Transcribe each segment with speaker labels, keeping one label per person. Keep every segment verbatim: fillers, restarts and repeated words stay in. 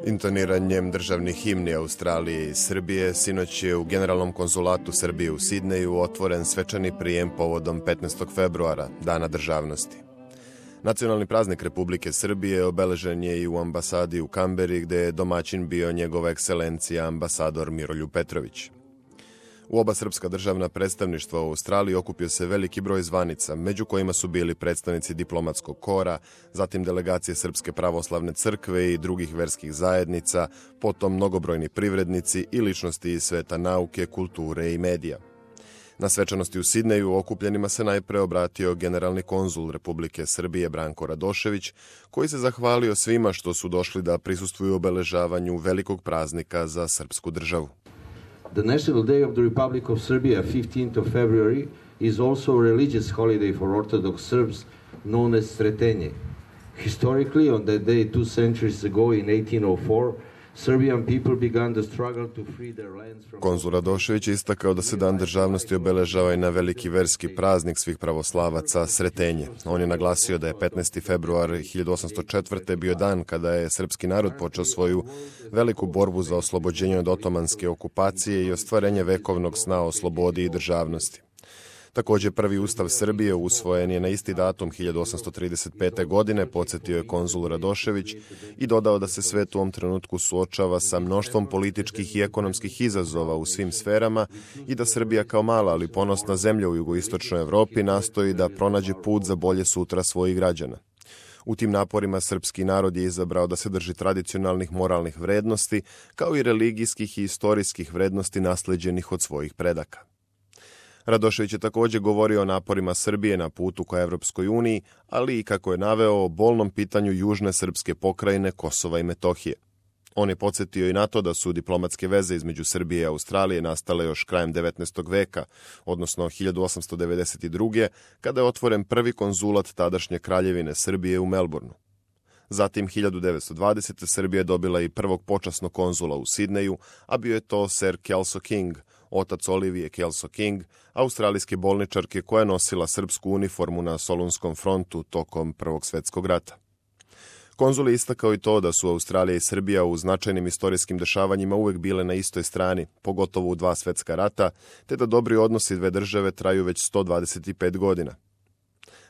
Speaker 1: Intoniranjem državnih himni Australije i Srbije sinoć je u Generalnom konzulatu Srbije u Sidneju otvoren svečani prijem povodom petnaestog februara, Dana državnosti. Nacionalni praznik Republike Srbije obeležen je i u ambasadi u Kamberi, gde je domaćin bio njegova ekscelencija ambasador Miroljub Petrović. U oba srpska državna predstavništva u Australiji okupio se veliki broj zvanica, među kojima su bili predstavnici diplomatskog kora, zatim delegacije Srpske pravoslavne crkve i drugih verskih zajednica, potom mnogobrojni privrednici i ličnosti iz sveta nauke, kulture i medija. Na svečanosti u Sidneju okupljenima se najpre obratio generalni konzul Republike Srbije Branko Radošević, koji se zahvalio svima što su došli da prisustvuju obeležavanju velikog praznika za srpsku državu.
Speaker 2: The National Day of the Republic of Serbia, fifteenth of February, is also a religious holiday for Orthodox Serbs known as Sretenje. Historically, on that day two centuries ago in eighteen oh four, Serbian people began the struggle to free their lands from...
Speaker 1: Konzul Radošević je istakao da se Dan državnosti obeležava i na veliki verski praznik svih pravoslavaca Sretenje. On je naglasio da je petnaesti februar hiljadu osamsto četvrte. bio dan kada je srpski narod počeo svoju veliku borbu za oslobođenje od otomanske okupacije i ostvarenje vekovnog sna o slobodi i državnosti. Također, prvi ustav Srbije usvojen je na isti datum hiljadu osamsto trideset pete. godine, podsjetio je konzul Radošević i dodao da se svet u ovom trenutku suočava sa mnoštvom političkih i ekonomskih izazova u svim sferama i da Srbija kao mala ali ponosna zemlja u jugoistočnoj Evropi nastoji da pronađe put za bolje sutra svojih građana. U tim naporima srpski narod je izabrao da se drži tradicionalnih moralnih vrednosti, kao i religijskih i istorijskih vrednosti nasleđenih od svojih predaka. Radošević je također govorio o naporima Srbije na putu ka Evropskoj uniji, ali i, kako je naveo, o bolnom pitanju južne srpske pokrajine Kosova i Metohije. On je podsjetio i na to da su diplomatske veze između Srbije i Australije nastale još krajem devetnaestog veka, odnosno hiljadu osamsto devedeset druge. kada je otvoren prvi konzulat tadašnje kraljevine Srbije u Melbourneu. Zatim, hiljadu devetsto dvadesete. Srbija je dobila i prvog počasnog konzula u Sidneju, a bio je to Sir Kelso King, otac Olivije Kelso King, australijske bolničarke koja je nosila srpsku uniformu na Solunskom frontu tokom Prvog svjetskog rata. Konzul je istakao i to da su Australija i Srbija u značajnim istorijskim dešavanjima uvek bile na istoj strani, pogotovo u dva svjetska rata, te da dobri odnosi dve države traju već sto dvadeset pet godina.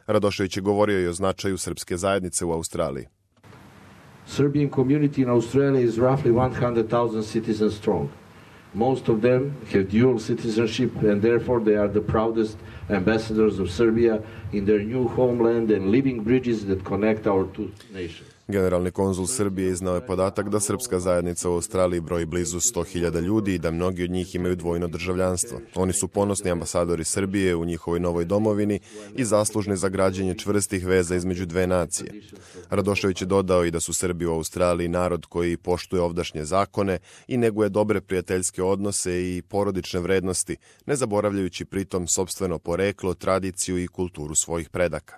Speaker 1: Radošević je govorio i o značaju srpske zajednice u Australiji.
Speaker 2: Serbian community in Australia is roughly one hundred thousand citizens strong. Most of them have dual citizenship and therefore they are the proudest ambassadors of Serbia in their new homeland and living bridges that connect our two nations.
Speaker 1: Generalni konzul Srbije iznao je podatak da srpska zajednica u Australiji broji blizu sto hiljada ljudi i da mnogi od njih imaju dvojno državljanstvo. Oni su ponosni ambasadori Srbije u njihovoj novoj domovini i zaslužni za građenje čvrstih veza između dve nacije. Radošević je dodao i da su Srbi u Australiji narod koji poštuje ovdašnje zakone i neguje dobre prijateljske odnose i porodične vrednosti, ne zaboravljajući pritom sopstveno poreklo, tradiciju i kulturu svojih predaka.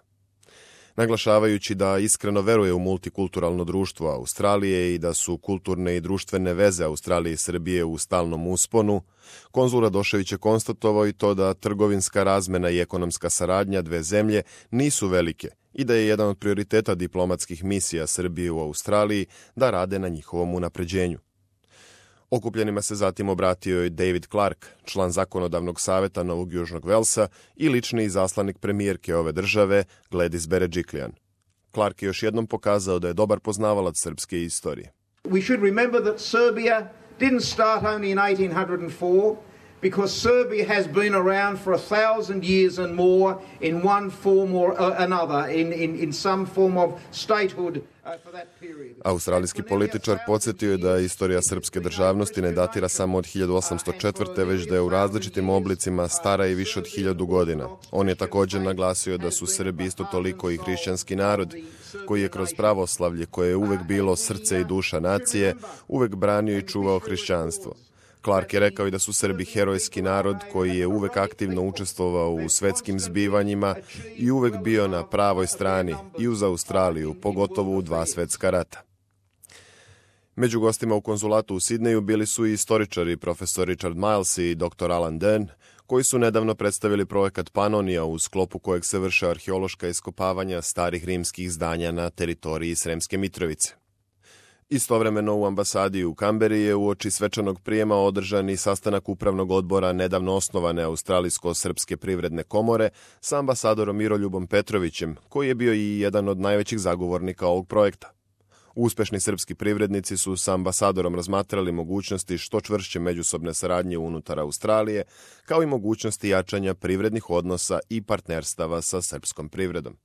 Speaker 1: Naglašavajući da iskreno veruje u multikulturalno društvo Australije i da su kulturne i društvene veze Australije i Srbije u stalnom usponu, konzul Radošević je konstatovao i to da trgovinska razmena i ekonomska saradnja dve zemlje nisu velike i da je jedan od prioriteta diplomatskih misija Srbije u Australiji da rade na njihovom unapređenju. Okupljenima se zatim obratio i David Clark, član zakonodavnog saveta Novog Južnog Velsa i lični izaslanik premijerke ove države, Gladys Berejiklian. Clark je još jednom pokazao da je dobar poznavalac srpske istorije.
Speaker 3: We should remember that Serbia didn't start only in eighteen oh four, because Serbia has been around for a thousand years and more in one form or another, in, in, in some form of statehood uh, for that period.
Speaker 1: Australijski političar podsjetio je da istorija srpske državnosti ne datira samo od hiljadu osamsto četvrte. već da je u različitim oblicima stara i više od hiljadu godina. On je također naglasio da su Srbi isto toliko i hrišćanski narod, koji je kroz pravoslavlje, koje je uvek bilo srce i duša nacije, uvek branio i čuvao hrišćanstvo. Clark je rekao i da su Srbi herojski narod koji je uvek aktivno učestvovao u svetskim zbivanjima i uvek bio na pravoj strani i uz Australiju, pogotovo u dva svetska rata. Među gostima u konzulatu u Sidneju bili su i istoričari profesor Richard Miles i doktor Alan Dern, koji su nedavno predstavili projekat Panonija u sklopu kojeg se vrše arheološka iskopavanja starih rimskih zdanja na teritoriji Sremske Mitrovice. Istovremeno u ambasadi u Kamberi je uoči svečanog prijema održan i sastanak upravnog odbora nedavno osnovane Australijsko-srpske privredne komore sa ambasadorom Miroljubom Petrovićem, koji je bio i jedan od najvećih zagovornika ovog projekta. Uspešni srpski privrednici su sa ambasadorom razmatrali mogućnosti što čvršće međusobne saradnje unutar Australije, kao i mogućnosti jačanja privrednih odnosa i partnerstava sa srpskom privredom.